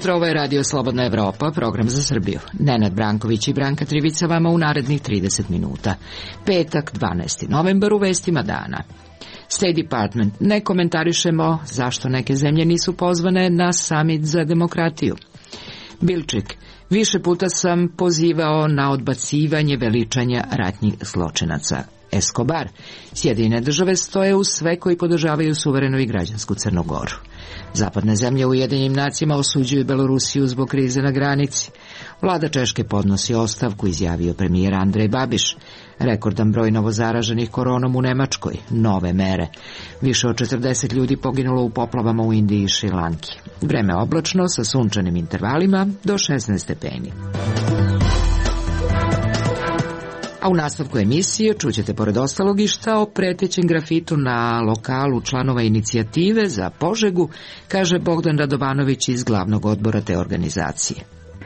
jutro, ovo je Radio Slobodna Evropa, program za Srbiju. Nenad Branković i Branka Trivica vama u narednih 30 minuta. Petak, 12. novembar, u vestima dana. State Department: ne komentarišemo zašto neke zemlje nisu pozvane na samit za demokratiju. Bilčik: više puta sam pozivao na odbacivanje veličanja ratnih zločinaca. Escobar: Sjedinjene države stoje uz sve koji podržavaju suverenu i građansku Crnu Goru. Zapadne zemlje u Ujedinjenim nacijama osuđuju Belorusiju zbog krize na granici. Vlada Češke podnosi ostavku, izjavio premijer Andrej Babiš. Rekordan broj novozaraženih koronom u Nemačkoj. Nove mere. Više od 40 ljudi poginulo u poplavama u Indiji i Šrilanki. Vreme oblačno sa sunčanim intervalima do 16 stepeni. A u nastavku emisije čućete pored ostalog i šta o pretećem grafitu na lokalu članova inicijative za Požegu, kaže Bogdan Radovanović iz glavnog odbora te organizacije.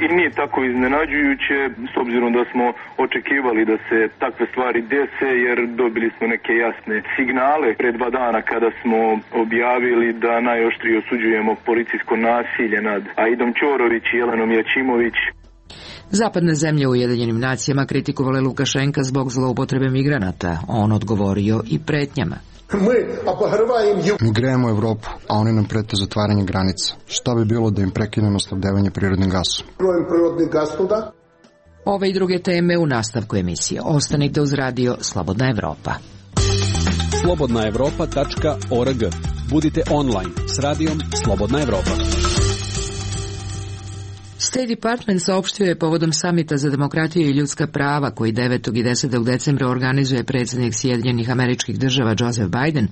I nije tako iznenađujuće, s obzirom da smo očekivali da se takve stvari dese, jer dobili smo neke jasne signale pred 2 dana kada smo objavili da najoštrije osuđujemo policijsko nasilje nad Aidom Ćorović i Jelenom Jačimović. Zapadne zemlje u Ujedinjenim nacijama kritikovale Lukašenka zbog zloupotrebe migranata. On odgovorio i pretnjama. Mi grejemo Evropu, a oni nam prete zatvaranje granica. Šta bi bilo da im prekinemo snabdevanje prirodnim gasom? Ove i druge teme u nastavku emisije. Ostanite uz Radio Slobodna Evropa. slobodnaevropa.org. Budite online s radijom Slobodna Evropa. State Department saopštio je povodom samita za demokratiju i ljudska prava koji 9. i 10. decembra organizuje predsjednik Sjedinjenih Američkih Država Joseph Biden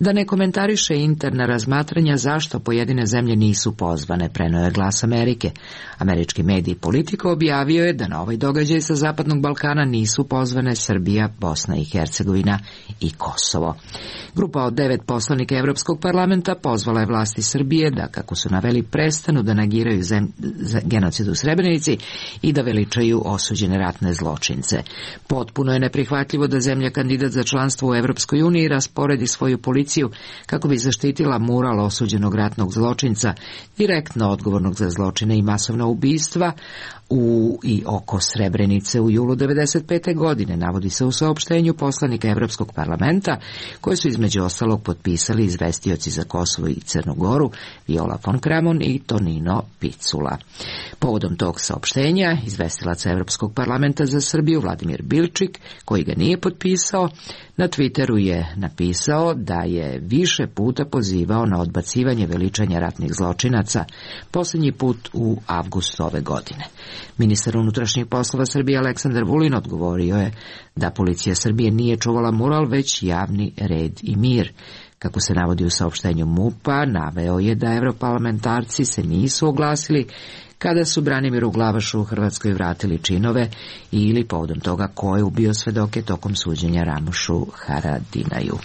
da ne komentariše interna razmatranja zašto pojedine zemlje nisu pozvane, preneo je Glas Amerike. Američki medij Politico objavio je da na ovaj događaj sa Zapadnog Balkana nisu pozvane Srbija, Bosna i Hercegovina i Kosovo. Grupa od 9 poslanika Evropskog parlamenta pozvala je vlasti Srbije da, kako su naveli, prestanu da negiraju genocid u Srebrenici i da veličaju osuđene ratne zločince. Potpuno je neprihvatljivo da zemlja kandidat za članstvo u Evropskoj uniji rasporedi svoju policiju kako bi zaštitila mural osuđenog ratnog zločinca, direktno odgovornog za zločine i masovna ubistva u i oko Srebrenice u julu 1995. godine, navodi se u saopštenju poslanika Evropskog parlamenta, koje su između ostalog potpisali izvestioci za Kosovo i Crnu Goru, Viola von Kramon i Tonino Picula. Povodom tog saopštenja, izvestilac Evropskog parlamenta za Srbiju Vladimir Bilčik, koji ga nije potpisao, na Twitteru je napisao da je više puta pozivao na odbacivanje veličanja ratnih zločinaca, posljednji put u avgustu ove godine. Ministar unutrašnjih poslova Srbije Aleksandar Vulin odgovorio je da policija Srbije nije čuvala mural, već javni red i mir. Kako se navodi u saopštenju MUP-a, naveo je da europarlamentarci se nisu oglasili kada su Branimiru Glavašu u Hrvatskoj vratili činove ili povodom toga ko je ubio svedoke tokom suđenja Ramušu Haradinaju.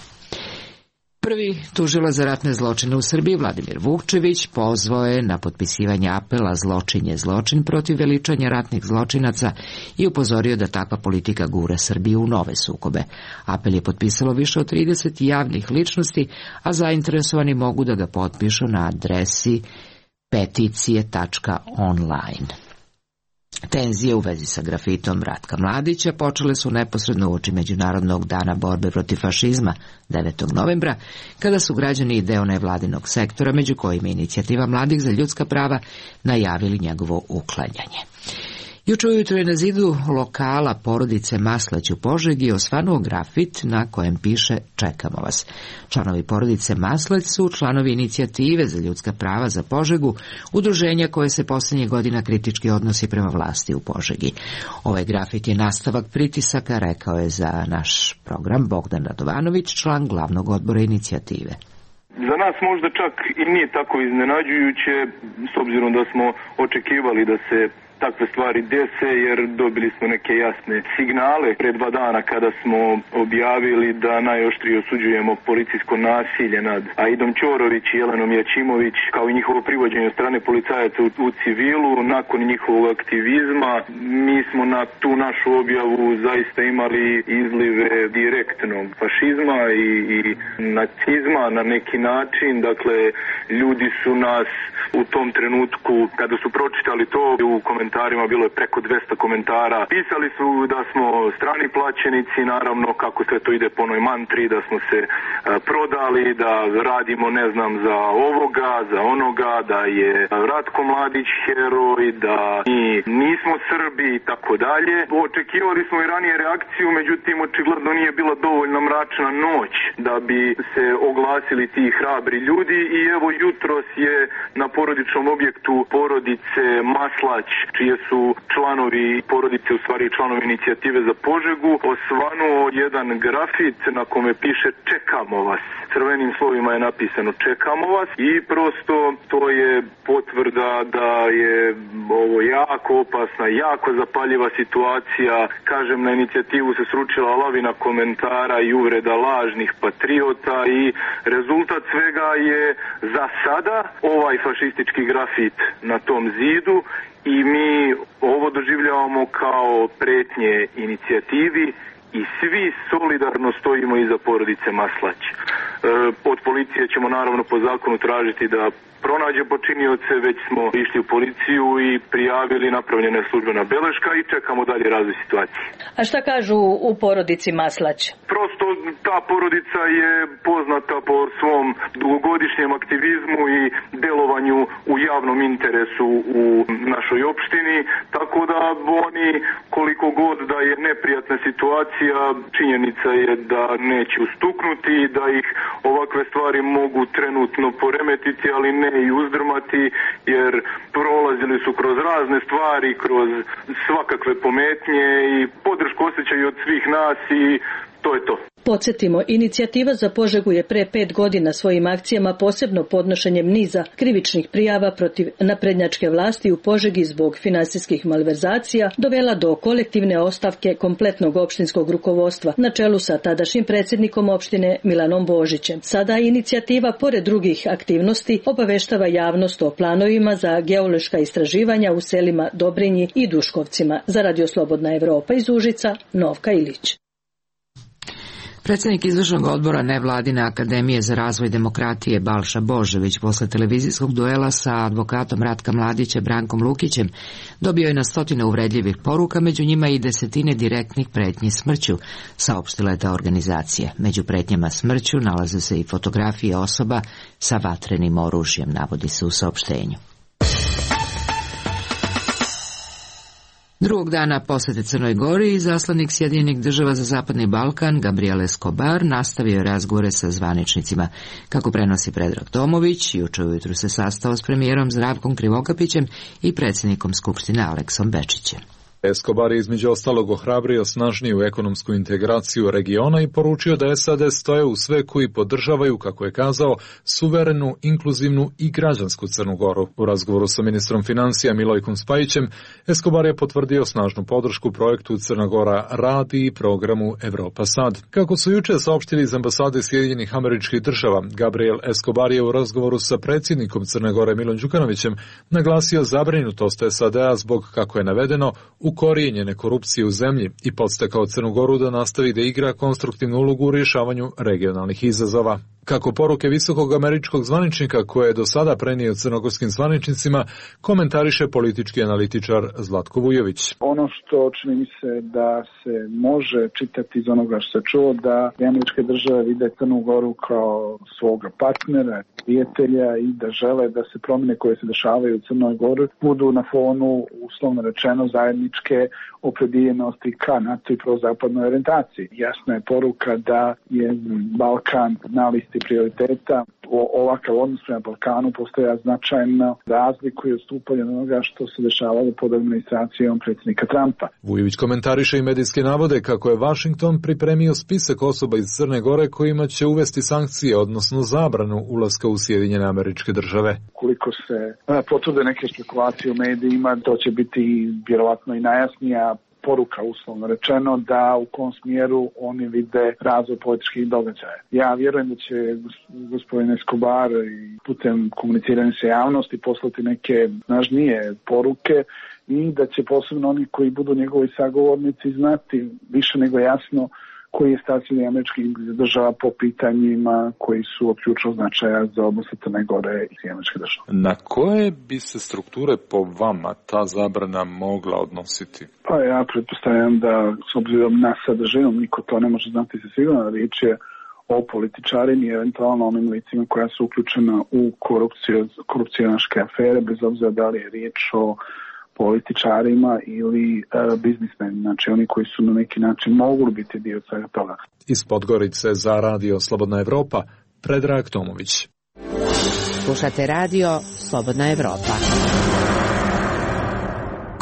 Prvi tužilac za ratne zločine u Srbiji, Vladimir Vukčević, pozvao je na potpisivanje apela Zločin je zločin protiv veličanja ratnih zločinaca i upozorio da takva politika gura Srbiju u nove sukobe. Apel je potpisalo više od 30 javnih ličnosti, a zainteresovani mogu da ga potpišu na adresi peticije.online. Tenzije u vezi sa grafitom Ratka Mladića počele su neposredno uoči Međunarodnog dana borbe protiv fašizma 9. novembra, kada su građani i deo nevladinog sektora, među kojima Inicijativa mladih za ljudska prava, najavili njegovo uklanjanje. Juče ujutro je na zidu lokala porodice Maslać u Požegi osvanuo grafit na kojem piše "Čekamo vas". Članovi porodice Maslać su članovi Inicijative za ljudska prava za Požegu, udruženja koje se posljednjih godina kritički odnosi prema vlasti u Požegi. Ovaj grafit je nastavak pritisaka, rekao je za naš program Bogdan Radovanović, član glavnog odbora Inicijative. Za nas možda čak i nije tako iznenađujuće, s obzirom da smo očekivali da se takve stvari dese, jer dobili smo neke jasne signale pred 2 dana kada smo objavili da najoštrije osuđujemo policijsko nasilje nad Aidom Ćorović i Jelenom Jačimović, kao i njihovo privođenje od strane policajaca u civilu. Nakon njihovog aktivizma mi smo na tu našu objavu zaista imali izlive direktnog fašizma i nacizma na neki način. Dakle, ljudi su nas u tom trenutku, kada su pročitali to, u komentarima bilo je preko 200 komentara. Pisali su da smo strani plaćenici, naravno kako sve to ide po onoj mantri, da smo se prodali, da radimo ne znam za ovoga, za onoga, da je Ratko Mladić heroj, da mi nismo Srbi i tako dalje. Očekivali smo i ranije reakciju, međutim očigledno nije bila dovoljno mračna noć da bi se oglasili ti hrabri ljudi i evo jutros je na porodičnom objektu porodice Maslać, čije su članovi porodice, u stvari članovi inicijative za Požegu, osvanuo jedan grafit na kome piše čekamo vas. Crvenim slovima je napisano čekamo vas i prosto to je potvrda da je ovo jako opasna, jako zapaljiva situacija. Kažem, na inicijativu se sručila lavina komentara i uvreda lažnih patriota i rezultat svega je za sada ovaj fašistički grafit na tom zidu i mi ovo doživljavamo kao pretnje inicijativi i svi solidarno stojimo iza porodice Maslać. Od policije ćemo naravno po zakonu tražiti da pronađe počinioce, već smo išli u policiju i prijavili, napravljena je službena beleška i čekamo dalje razvoj situacije. A šta kažu u porodici Maslać? Prosto ta porodica je poznata po svom dugogodišnjem aktivizmu i delovanju u javnom interesu u našoj opštini, tako da oni koliko god da je neprijatna situacija, činjenica je da neće ustuknuti, da ih ovakve stvari mogu trenutno poremetiti, ali ne i uzdrmati, jer prolazili su kroz razne stvari, kroz svakakve pometnje i podršku osjećaju od svih nas i to je to. Podsjetimo, inicijativa za Požegu je pre 5 godina svojim akcijama, posebno podnošenjem niza krivičnih prijava protiv naprednjačke vlasti u Požegi zbog finansijskih malverzacija, dovela do kolektivne ostavke kompletnog opštinskog rukovodstva na čelu sa tadašnjim predsjednikom opštine Milanom Božićem. Sada inicijativa, pored drugih aktivnosti, obaveštava javnost o planovima za geološka istraživanja u selima Dobrinji i Duškovcima. Za Radio Slobodna Evropa iz Užica, Novka Ilić. Predsjednik izvršnog odbora Nevladine akademije za razvoj demokratije Balša Božović posle televizijskog duela sa advokatom Ratka Mladića Brankom Lukićem dobio je na stotine uvredljivih poruka, među njima i desetine direktnih pretnji smrću, saopštila je ta organizacija. Među pretnjama smrću nalaze se i fotografije osoba sa vatrenim oružjem, navodi se u saopštenju. Drugog dana posete Crnoj Gori, izaslanik Sjedinjenih država za Zapadni Balkan Gabriel Escobar nastavio razgovore sa zvaničnicima. Kako prenosi Predrag Tomović, juče ujutru se sastao s premijerom Zdravkom Krivokapićem i predsjednikom Skupštine Aleksom Bečićem. Escobar je između ostalog ohrabrio snažniju ekonomsku integraciju regiona i poručio da SAD stoje u sve koji podržavaju, kako je kazao, suverenu, inkluzivnu i građansku Crnu Goru. U razgovoru sa ministrom financija Milojkom Spajićem, Escobar je potvrdio snažnu podršku projektu Crna Gora radi i programu Evropa Sad. Kako su juče saopštili iz ambasade Sjedinjenih Američkih Država, Gabriel Escobar je u razgovoru sa predsjednikom Crne Gore Milom Đukanovićem naglasio zabrinutost SAD-a zbog, kako je navedeno, ukorijenjene korupcije u zemlji i podstakao Crnu Goru da nastavi da igra konstruktivnu ulogu u rješavanju regionalnih izazova. Kako poruke visokog američkog zvaničnika koje je do sada prenio crnogorskim zvaničnicima, komentariše politički analitičar Zlatko Vujović. Ono što čini mi se da se može čitati iz onoga što se čuo, da američke države vide Crnu Goru kao svoga partnera, prijatelja i da žele da se promjene koje se dešavaju u Crnoj Gori budu na fonu, uslovno rečeno, zajedničke opredijeljenosti ka NATO i prozapadnoj orijentaciji. Jasna je poruka da je Balkan na listi prioriteta ovakav odnos prema Balkanu postoja značajno razlikuje odstupanje od onoga što se dešavalo pod administracijom predsjednika Trumpa. Vujović komentariše i medijske navode kako je Washington pripremio spisak osoba iz Crne Gore kojima će uvesti sankcije, odnosno zabranu ulaska u Sjedinjene Američke Države. Koliko se potvrde neke spekulacije u medijima, to će biti vjerovatno i najjasnija poruka, uslovno rečeno, da u kom smjeru oni vide razvoj političkih događaja. Ja vjerujem da će gospodin Escobar i putem komuniciranja sa javnosti poslati neke snažnije poruke i da će posebno oni koji budu njegovi sagovornici znati više nego jasno koji je stav Sjedinjenih Američkih Država po pitanjima koji su od ključnog značaja za odnose Crne Gore i Sjedinjenih Američkih Država. Na koje bi se strukture po vama ta zabrana mogla odnositi? Pa ja pretpostavljam da s obzirom na sadržinu niko to ne može znati se sigurno, riječ je o političarima i eventualno onim licima koja su uključena u korupcionaške afere, bez obzira da li je riječ o političarima ili biznismeni, znači oni koji su na neki način mogli biti dio svega toga. Iz Podgorice za Radio Slobodna Evropa, Predrag Tomović. Slušate Radio Slobodna Evropa.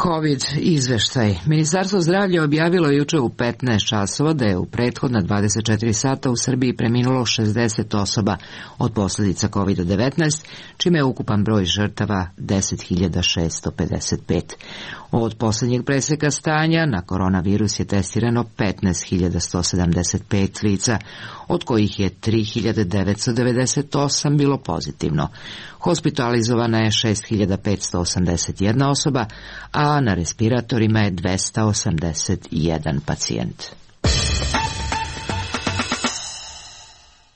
COVID izveštaj. Ministarstvo zdravlja objavilo juče u 15 časova da je u prethodna 24 sata u Srbiji preminulo 60 osoba od posljedica COVID-19, čime je ukupan broj žrtava 10.655. Od posljednjeg preseka stanja na koronavirus je testirano 15.175 lica, od kojih je 3.998 bilo pozitivno. Hospitalizovana je 6.581 osoba, a na respiratorima je 281 pacijent.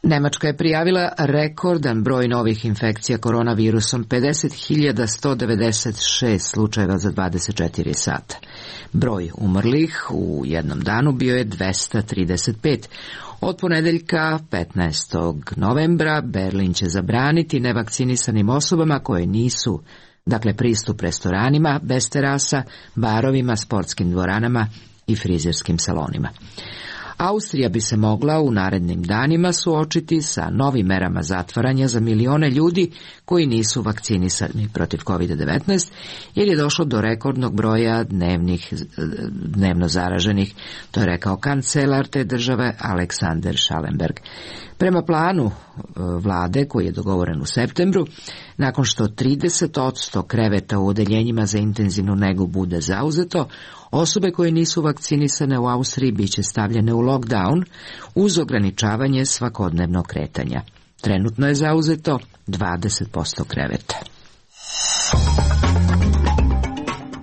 Nemačka je prijavila rekordan broj novih infekcija koronavirusom, 50.196 slučajeva za 24 sata. Broj umrlih u jednom danu bio je 235. Od ponedeljka 15. novembra Berlin će zabraniti nevakcinisanim osobama koje nisu, dakle pristup restoranima bez terasa, barovima, sportskim dvoranama i frizerskim salonima. Austrija bi se mogla u narednim danima suočiti sa novim merama zatvaranja za milione ljudi koji nisu vakcinisani protiv COVID-19, jer je došlo do rekordnog broja dnevno zaraženih, to je rekao kancelar te države Alexander Schallenberg. Prema planu vlade koji je dogovoren u septembru, nakon što 30% kreveta u odeljenjima za intenzivnu negu bude zauzeto, osobe koje nisu vakcinisane u Austriji biće stavljene u lockdown uz ograničavanje svakodnevnog kretanja. Trenutno je zauzeto 20% kreveta.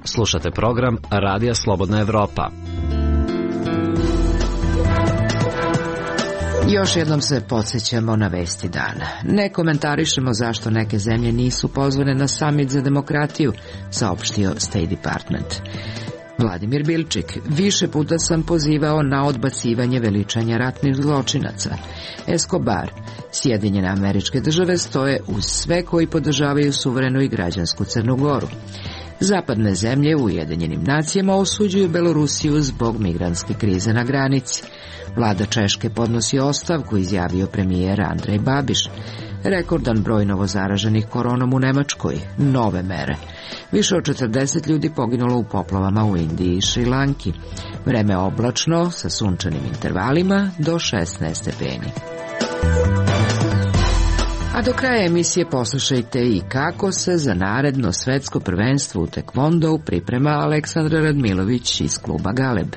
Slušate program Radija Slobodna Evropa. Još jednom se podsjećamo na vesti dana. Ne komentarišemo zašto neke zemlje nisu pozvane na samit za demokratiju, saopštio State Department. Vladimir Bilčik: više puta sam pozivao na odbacivanje veličanja ratnih zločinaca. Escobar: Sjedinjene Američke Države stoje uz sve koji podržavaju suverenu i građansku Crnu Goru. Zapadne zemlje u Ujedinjenim nacijama osuđuju Belorusiju zbog migrantske krize na granici. Vlada Češke podnosi ostavku, izjavio premijer Andrej Babiš. Rekordan broj novozaraženih koronom u Nemačkoj. Nove mere. Više od 40 ljudi poginulo u poplavama u Indiji i Šrilanki. Vreme oblačno sa sunčanim intervalima do 16 stepeni. A do kraja emisije poslušajte i kako se za naredno svetsko prvenstvo u tekvondou priprema Aleksandra Radmilović iz kluba Galeb.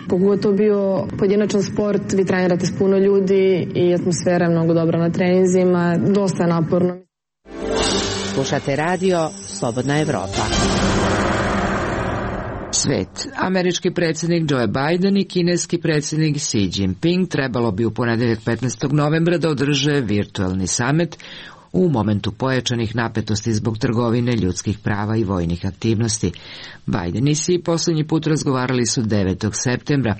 Pogotovo bio pojedinačan sport, vi trenirate s puno ljudi i atmosfera je mnogo dobra na treninzima, dosta je naporno. Slušate Radio Slobodna Evropa. Svet. Američki predsjednik Joe Biden i kineski predsjednik Xi Jinping trebalo bi u ponedjeljak 15. novembra da održe virtualni summit u momentu pojačanih napetosti zbog trgovine, ljudskih prava i vojnih aktivnosti. Biden i Xi posljednji put razgovarali su 9. septembra.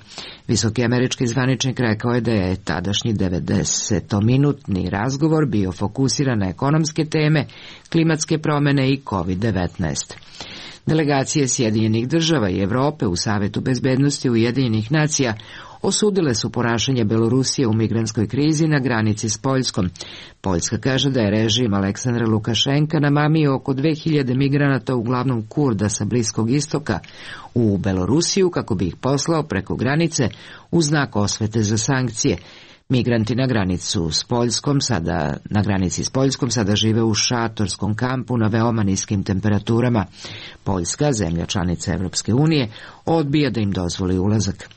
Visoki američki zvaničnik rekao je da je tadašnji 90-minutni razgovor bio fokusiran na ekonomske teme, klimatske promjene i COVID-19. Delegacije Sjedinjenih Država i Europe u Savetu bezbednosti Ujedinjenih nacija osudile su ponašanje Belorusije u migrantskoj krizi na granici s Poljskom. Poljska kaže da je režim Aleksandra Lukašenka namamio oko 2000 migranata, uglavnom Kurda sa Bliskog istoka, u Belorusiju kako bi ih poslao preko granice u znak osvete za sankcije. Migranti na granici s Poljskom sada žive u šatorskom kampu na veoma niskim temperaturama. Poljska, zemlja članica Evropske unije, odbija da im dozvoli ulazak.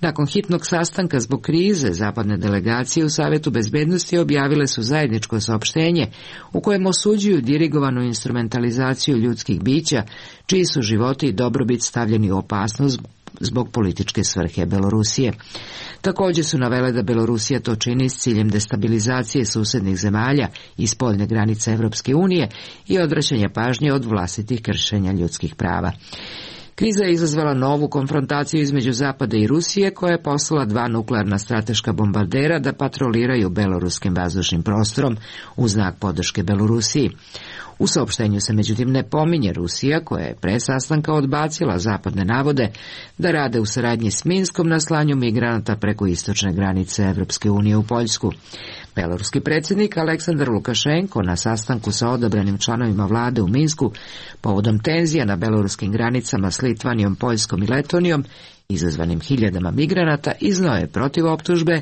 Nakon hitnog sastanka zbog krize, zapadne delegacije u Savetu bezbednosti objavile su zajedničko saopštenje u kojem osuđuju dirigovanu instrumentalizaciju ljudskih bića, čiji su životi i dobrobit stavljeni u opasnost zbog političke svrhe Belorusije. Također su navele da Belorusija to čini s ciljem destabilizacije susednih zemalja i spoljne granice Evropske unije i odvraćanja pažnje od vlastitih kršenja ljudskih prava. Kriza je izazvala novu konfrontaciju između Zapada i Rusije, koja je poslala 2 nuklearna strateška bombardera da patroliraju beloruskim vazdušnim prostorom u znak podrške Belorusiji. U saopštenju se međutim ne pominje Rusija, koja je pre sastanka odbacila zapadne navode da rade u saradnji s Minskom na slanju migranata preko istočne granice Evropske unije u Poljsku. Beloruski predsjednik Aleksandar Lukašenko na sastanku sa odabranim članovima vlade u Minsku povodom tenzija na beloruskim granicama s Litvanijom, Poljskom i Letonijom, izazvanim hiljadama migranata, iznio je protiv optužbe,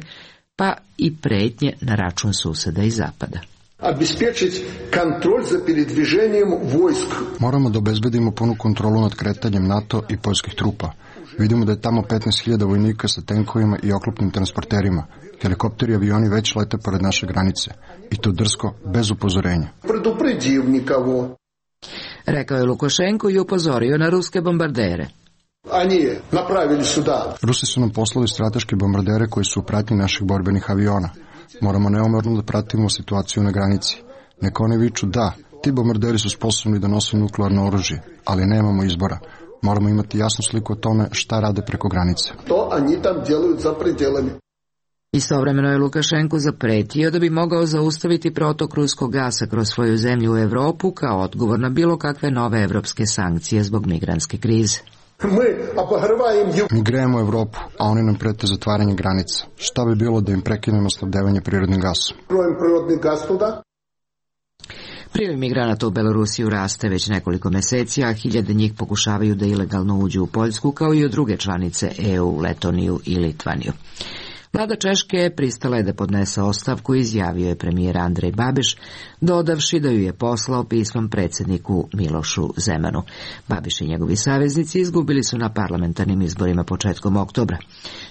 pa i pretnje na račun suseda i zapada. Обеспечить контроль за передвижением войск. Moramo da obezbedimo punu kontrolu nad kretanjem NATO i poljskih trupa. Vidimo da je tamo 15.000 vojnika sa tenkovima i oklopnim transporterima. Helikopteri i avioni već lete pored naše granice. I to drsko, bez upozorenja. Предупредив никого. Rekao je Lukašenko i upozorio na ruske bombardere. Они направили сюда. Rusi su nam poslali strateške bombardere koji su u pratnji naših borbenih aviona. Moramo neumorno da pratimo situaciju na granici. Neka oni viču da, ti bombarderi su sposobni da nose nuklearno oružje, ali nemamo izbora. Moramo imati jasnu sliku o tome šta rade preko granice. To oni tam делают za пределами. Istovremeno je Lukašenko zapretio da bi mogao zaustaviti protok ruskog gasa kroz svoju zemlju u Evropu kao odgovor na bilo kakve nove evropske sankcije zbog migrantske krize. Mi grejemo Evropu, a oni nam prete zatvaranje granica. Šta bi bilo da im prekinemo snabdevanje prirodnim gasom? Priliv migranata u Belorusiju raste već nekoliko meseci, a hiljade njih pokušavaju da ilegalno uđu u Poljsku, kao i u druge članice EU, Letoniju i Litvaniju. Vlada Češke pristala je da podnese ostavku, izjavio je premijer Andrej Babiš, dodavši da ju je poslao pismom predsjedniku Milošu Zemanu. Babiš i njegovi saveznici izgubili su na parlamentarnim izborima početkom oktobra.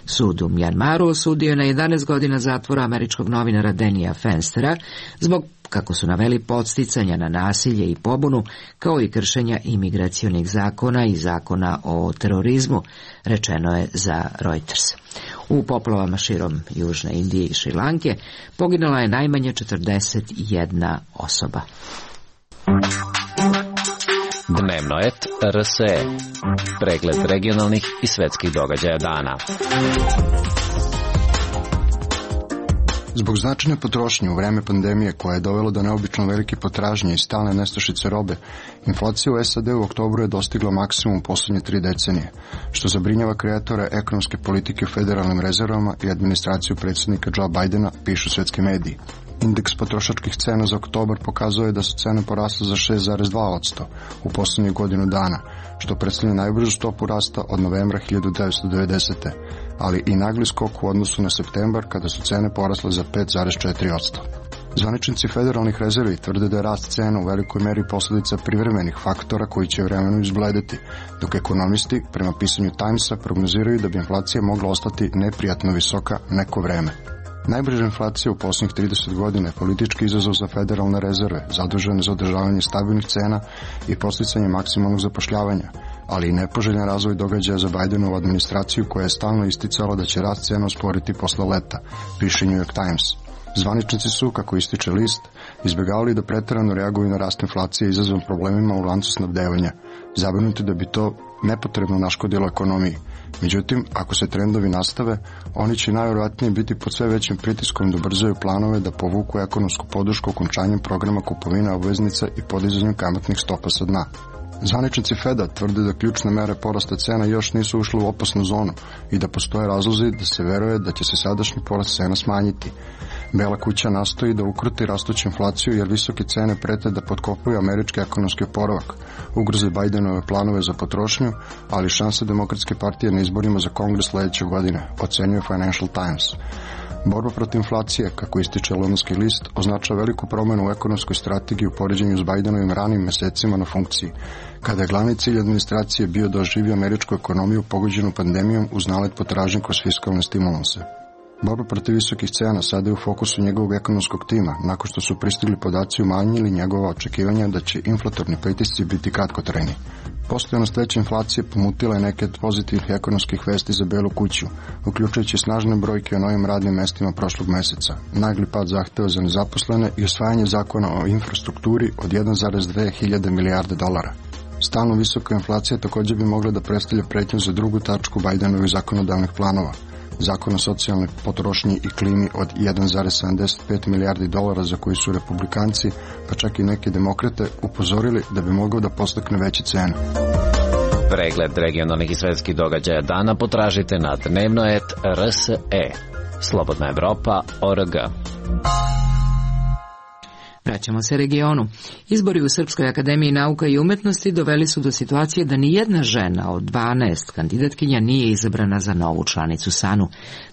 Sud u Mjanmaru osudio je na 11 godina zatvora američkog novinara Denija Fenstera zbog, kako su naveli, podsticanja na nasilje i pobunu, kao i kršenja imigracionih zakona i zakona o terorizmu, rečeno je za Reuters. U poplavama širom Južne Indije i Šrilanke poginula je najmanje 41 osoba. Dnevno et RSE. Pregled regionalnih i svetskih događaja dana. Zbog značajne potrošnje u vreme pandemije, koja je dovela do neobično velike potražnje i stalne nestašice robe, inflacija u SAD u oktobru je dostigla maksimum u poslednje 3 decenije, što zabrinjava kreatore ekonomske politike u federalnim rezervama i administraciju predsjednika Joe Bidena, pišu svetski mediji. Indeks potrošačkih cena za oktobar pokazuje da su cene porasle za 6,2% u poslednjih godinu dana, što predstavlja najbržu stopu rasta od novembra 1990. ali i nagli skok u odnosu na septembar, kada su cene porasle za 5,4%. Zvaničnici federalnih rezervi tvrde da je rast cena u velikoj meri posljedica privremenih faktora koji će vremenu izbledeti, dok ekonomisti, prema pisanju Timesa, prognoziraju da bi inflacija mogla ostati neprijatno visoka neko vreme. Najbrža inflacija u posljednjih 30 godina je politički izazov za federalne rezerve, zadužene za održavanje stabilnih cena i podsticanje maksimalnog zapošljavanja, ali i nepoželjan razvoj događaja za Bidenovu administraciju, koja je stalno isticala da će rast cena usporiti posle leta, piše New York Times. Zvaničnici su, kako ističe list, izbjegavali da preterano reaguju na rast inflacije izazvan problemima u lancu snabdevanja, zabrinuti da bi to nepotrebno naškodilo ekonomiji. Međutim, ako se trendovi nastave, oni će najvjerojatnije biti pod sve većim pritiskom da ubrzaju planove da povuku ekonomsku podršku okončanjem programa kupovine obveznica i podizanjem kamatnih stopa sa dna. Zvaničnici Feda tvrde da ključne mere porasta cena još nisu ušle u opasnu zonu i da postoje razlozi da se veruje da će se sadašnji porast cena smanjiti. Bela kuća nastoji da ukruti rastuću inflaciju jer visoke cene prete da potkopaju američki ekonomski oporavak, ugroze Bidenove planove za potrošnju, ali šanse Demokratske partije na izborima za Kongres sledeće godine, ocenjuje Financial Times. Borba protiv inflacije, kako ističe Londonski list, označava veliku promenu u ekonomskoj strategiji u poređenju s Bidenovim ranim mesecima na funkciji, kada je glavni cilj administracije bio da oživi američku ekonomiju pogođenu pandemijom uz nalet potražnje kroz fiskalne stimulanse. Borba protiv visokih cena sada je u fokusu njegovog ekonomskog tima, nakon što su pristigli podaci umanjili njegova očekivanja da će inflatorni pritisci biti kratkotrajni. Postojanost veće inflacije pomutila je neke od pozitivnih ekonomskih vesti za Belu kuću, uključujući snažne brojke o novim radnim mestima prošlog meseca, nagli pad zahteva za nezaposlene i usvajanje zakona o infrastrukturi od 1,2 hiljade milijarde dolara. Stalno visoka inflacija također bi mogla da predstavlja pretnju za drugu tačku Bidenovih zakonodavnih planova, zakon o socijalnoj potrošnji i klimi od 1,75 milijardi dolara za koji su republikanci, pa čak i neki demokrate, upozorili da bi mogao da postakne veće cene. Pregled regionalnih i svetskih događaja dana potražite na dnevnoet.rse. Slobodna Evropa.org. Vraćamo se regionu. Izbori u Srpskoj akademiji nauka i umetnosti doveli su do situacije da ni jedna žena od 12 kandidatkinja nije izabrana za novu članicu SANU.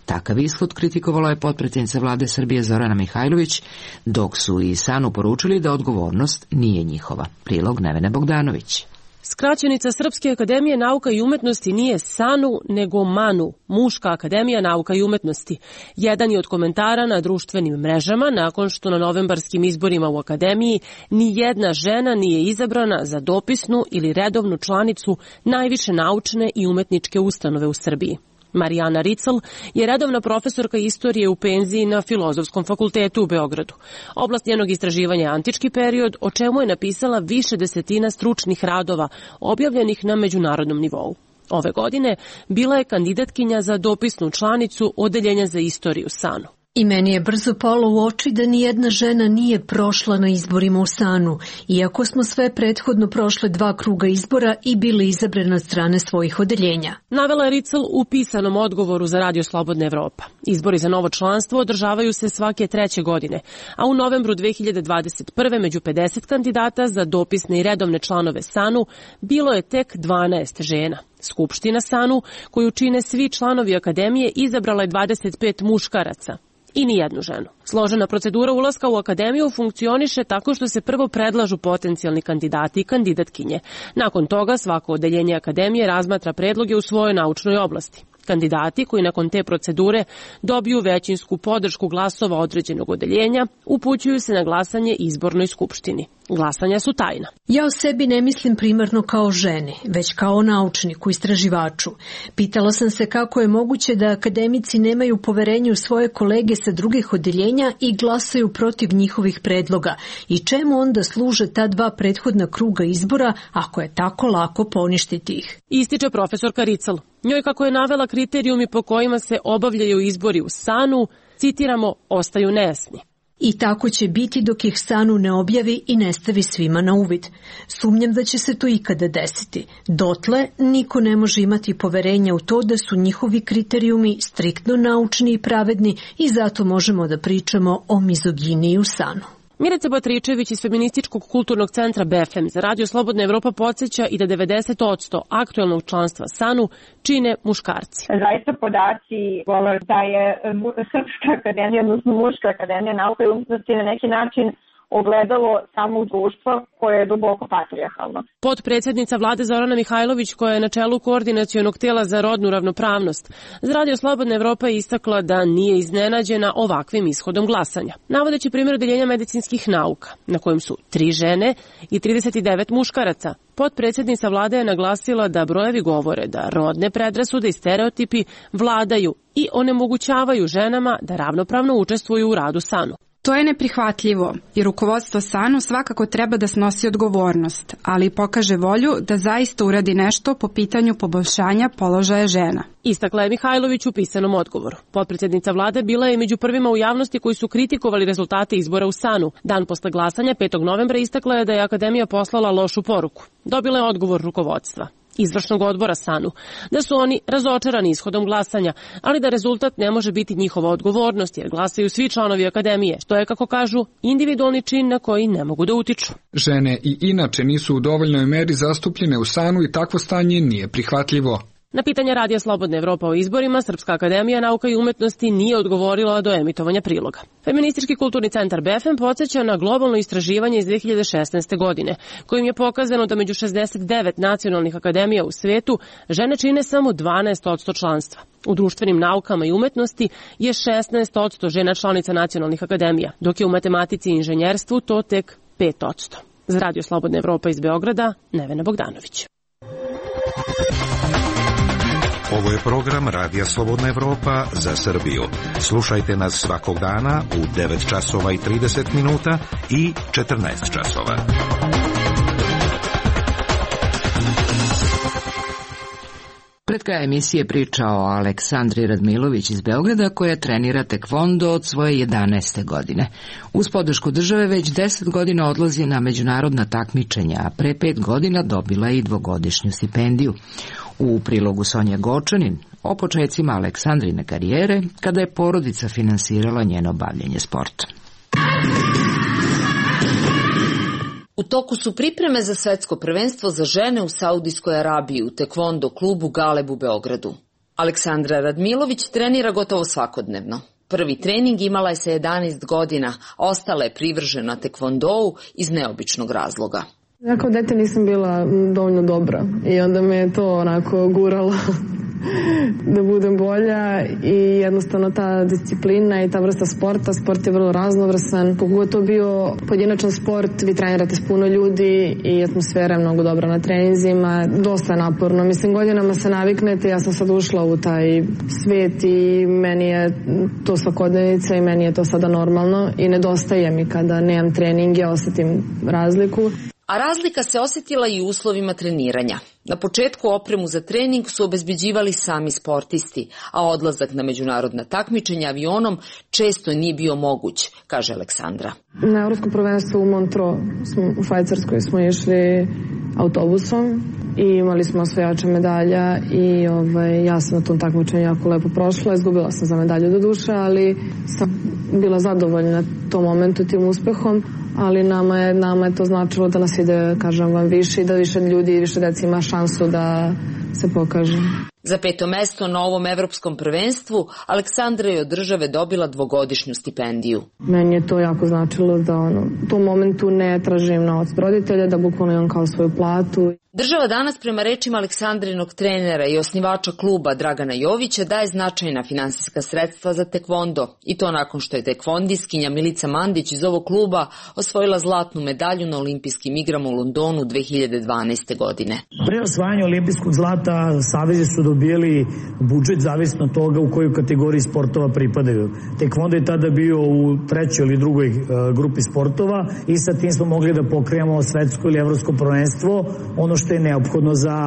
Takav ishod kritikovala je potpredsjednica vlade Srbije Zorana Mihajlović, dok su i SANU poručili da odgovornost nije njihova. Prilog Nevene Bogdanović. Skraćenica Srpske akademije nauka i umetnosti nije SANU, nego MANU, Muška akademija nauka i umetnosti. Jedan je od komentara na društvenim mrežama nakon što na novembarskim izborima u akademiji ni jedna žena nije izabrana za dopisnu ili redovnu članicu najviše naučne i umetničke ustanove u Srbiji. Marijana Ricl je redovna profesorka istorije u penziji na Filozofskom fakultetu u Beogradu. Oblast njenog istraživanja je antički period, o čemu je napisala više desetina stručnih radova, objavljenih na međunarodnom nivou. Ove godine bila je kandidatkinja za dopisnu članicu Odeljenja za istoriju SANU. I meni je brzo palo u oči da nijedna žena nije prošla na izborima u SANU, iako smo sve prethodno prošle 2 kruga izbora i bile izabrane od strane svojih odeljenja. Navela je Ricl u pisanom odgovoru za Radio Slobodna Evropa. Izbori za novo članstvo održavaju se svake 3. godine, a u novembru 2021. među 50 kandidata za dopisne i redovne članove SANU bilo je tek 12 žena. Skupština SANU, koju čine svi članovi akademije, izabrala je 25 muškaraca i nijednu ženu. Složena procedura ulaska u akademiju funkcioniše tako što se prvo predlažu potencijalni kandidati i kandidatkinje. Nakon toga svako odeljenje akademije razmatra predloge u svojoj naučnoj oblasti. Kandidati koji nakon te procedure dobiju većinsku podršku glasova određenog odeljenja upućuju se na glasanje izbornoj skupštini. Glasanja su tajna. Ja o sebi ne mislim primarno kao ženi, već kao naučniku, istraživaču. Pitala sam se kako je moguće da akademici nemaju poverenje u svoje kolege sa drugih odeljenja i glasaju protiv njihovih predloga i čemu onda služe ta 2 prethodna kruga izbora ako je tako lako poništiti ih. Ističe profesorka Ricl. Njoj, kako je navela kriterijumi po kojima se obavljaju izbori u SANU, citiramo, ostaju nejasni. I tako će biti dok ih SANU ne objavi i ne stavi svima na uvid. Sumnjam da će se to ikada desiti. Dotle niko ne može imati poverenja u to da su njihovi kriterijumi striktno naučni i pravedni i zato možemo da pričamo o mizoginiji u SANU. Milica Batričević iz Feminističkog kulturnog centra BFM za Radio Slobodna Evropa podsjeća i da 90% aktuelnog članstva SANU čine muškarci. Zaista podaci govore da je Srpska akademija, odnosno Muška akademija nauka i umetnosti na neki način ogledalo samog društva koje je duboko patrijarhalno. Potpredsjednica vlade Zorana Mihajlović, koja je na čelu koordinacionog tela za rodnu ravnopravnost, za Radio Slobodna Evropa je istakla da nije iznenađena ovakvim ishodom glasanja. Navodeći primjer odeljenja medicinskih nauka, na kojem su 3 žene i 39 muškaraca, potpredsjednica vlade je naglasila da brojevi govore da rodne predrasude i stereotipi vladaju i onemogućavaju ženama da ravnopravno učestvuju u radu SANU. To je neprihvatljivo i rukovodstvo SANU svakako treba da snosi odgovornost, ali pokaže volju da zaista uradi nešto po pitanju poboljšanja položaja žena. Istakla je Mihajlović u pisanom odgovoru. Potpredsjednica vlade bila je među prvima u javnosti koji su kritikovali rezultate izbora u SANU. Dan posle glasanja 5. novembra istakla je da je Akademija poslala lošu poruku. Dobila je odgovor rukovodstva izvršnog odbora SANU, da su oni razočarani ishodom glasanja, ali da rezultat ne može biti njihova odgovornost jer glasaju svi članovi Akademije, što je, kako kažu, individualni čin na koji ne mogu da utiču. Žene i inače nisu u dovoljnoj meri zastupljene u SANU i takvo stanje nije prihvatljivo. Na pitanje Radija Slobodna Evropa o izborima, Srpska akademija nauka i umetnosti nije odgovorila do emitovanja priloga. Feministički kulturni centar BFM podsjeća na globalno istraživanje iz 2016. godine, kojim je pokazano da među 69 nacionalnih akademija u svetu žene čine samo 12% članstva. U društvenim naukama i umetnosti je 16% žena članica nacionalnih akademija, dok je u matematici i inženjerstvu to tek 5%. Za Radio Slobodna Evropa iz Beograda, Nevena Bogdanović. Ovo je program Radija Slobodna Evropa za Srbiju. Slušajte nas svakog dana u 9 časova i 30 minuta i 14 časova. Pred kraj emisije priča o Aleksandri Radmilović iz Beograda koja trenira tekvondo od svoje 11. godine. Uz podršku države već 10 godina odlazi na međunarodna takmičenja, a pre 5 godina dobila je i 2-godišnju stipendiju. U prilogu Sonja Gočanin o počecima Aleksandrine karijere kada je porodica finansirala njeno bavljenje sportom. U toku su pripreme za svetsko prvenstvo za žene u Saudijskoj Arabiji u tekvondo klubu Galeb u Beogradu. Aleksandra Radmilović trenira gotovo svakodnevno. Prvi trening imala je sa 11 godina, a ostala je privržena tekvondou iz neobičnog razloga. Ja kao dete nisam bila dovoljno dobra i onda me je to onako guralo da budem bolja i jednostavno ta disciplina i ta vrsta sporta, sport je vrlo raznovrsan, pogotovo bio pojedinačan sport, vi trenirate s puno ljudi i atmosfera je mnogo dobra na treninzima, dosta je naporno, mislim godinama se naviknete, ja sam sad ušla u taj svet i meni je to svakodnevnica i meni je to sada normalno i nedostaje mi kada nemam treninge, osetim razliku. A razlika se osjetila i u uslovima treniranja. Na početku opremu za trening su obezbeđivali sami sportisti, a odlazak na međunarodna takmičenja avionom često nije bio moguć, kaže Aleksandra. Na Evropsko prvenstvo u Montreux u Švajcarskoj smo išli autobusom i imali smo osvajača medalja i ja sam na tom takmičenju jako lepo prošla. Izgubila sam za medalju do duše, ali sam bila zadovoljna tom momentu, tim uspehom. Ali nama je to značilo da nas ide, kažem vam, više i da više ljudi i više deci ima šansu da se pokaže. Za 5. mesto na ovom evropskom prvenstvu Aleksandra je od države dobila 2-godišnju stipendiju. Meni je to jako značilo da u tom momentu ne tražim novac od roditelja, da bukvalno imam kao svoju platu. Država danas prema rečima Aleksandrinog trenera i osnivača kluba Dragana Jovića daje značajna finansijska sredstva za tekvondo i to nakon što je tekvondiskinja Milica Mandić iz ovog kluba osvojila zlatnu medalju na olimpijskim igrama u Londonu 2012. godine. Pre osvajanja olimpijskog zlata savezi su dobijali budžet zavisno od toga u kojoj kategoriji sportova pripadaju. Tekvondo je tada bio u 3. ili 2. grupi sportova i sa tim smo mogli da pokrijemo svetsko ili evropsko prvenstvo, ono što je neophodno za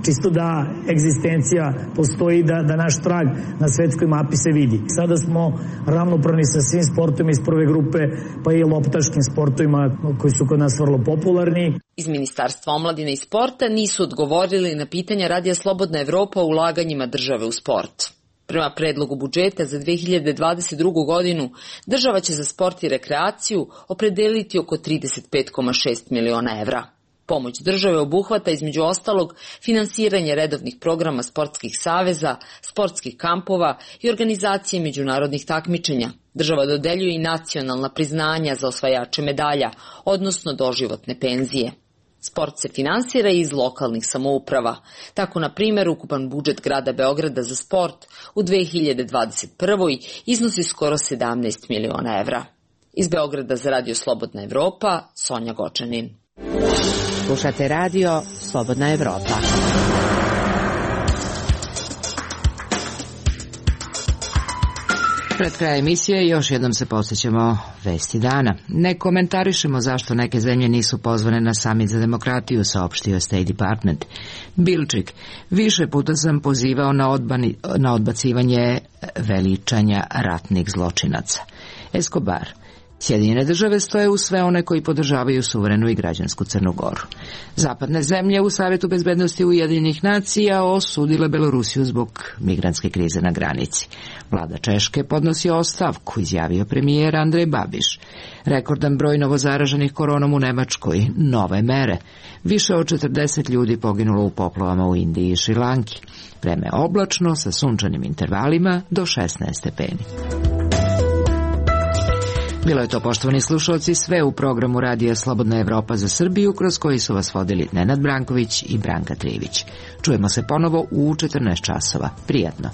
čisto da egzistencija postoji, da naš trag na svetskoj mapi se vidi. Sada smo ravnopravni sa svim sportovima iz prve grupe, pa i loptaškim sportovima koji su kod nas vrlo popularni. Iz Ministarstva omladine i sporta nisu odgovorili na pitanja Radija Slobodna Evropa o ulaganjima države u sport. Prema predlogu budžeta za 2022. godinu, država će za sport i rekreaciju opredeliti oko 35,6 miliona evra. Pomoć države obuhvata između ostalog finansiranje redovnih programa sportskih saveza, sportskih kampova i organizacije međunarodnih takmičenja. Država dodeljuje i nacionalna priznanja za osvajače medalja, odnosno doživotne penzije. Sport se finansira iz lokalnih samouprava. Tako, na primjer, ukupan budžet grada Beograda za sport u 2021. iznosi skoro 17 miliona evra. Iz Beograda za Radio Slobodna Evropa, Sonja Gočanin. Slušate Radio Slobodna Evropa. Pred kraj emisije još jednom se podsjećamo vesti dana. Ne komentarišemo zašto neke zemlje nisu pozvane na samit za demokratiju, saopštio State Department. Bilčik, više puta sam pozivao na odbacivanje veličanja ratnih zločinaca. Escobar, Sjedinjene države stoje uz sve one koji podržavaju suverenu i građansku Crnu Goru. Zapadne zemlje u Savetu bezbednosti Ujedinjenih nacija osudile Belorusiju zbog migrantske krize na granici. Vlada Češke podnosi ostavku, izjavio premijer Andrej Babiš. Rekordan broj novozaraženih koronom u Nemačkoj, nove mere. Više od 40 ljudi poginulo u poplavama u Indiji i Šrilanki. Vreme oblačno sa sunčanim intervalima do 16 stepeni. Bilo je to, poštovani slušalci, sve u programu Radija Slobodna Evropa za Srbiju, kroz koji su vas vodili Nenad Branković i Branka Trivić. Čujemo se ponovo u 14 časova. Prijatno.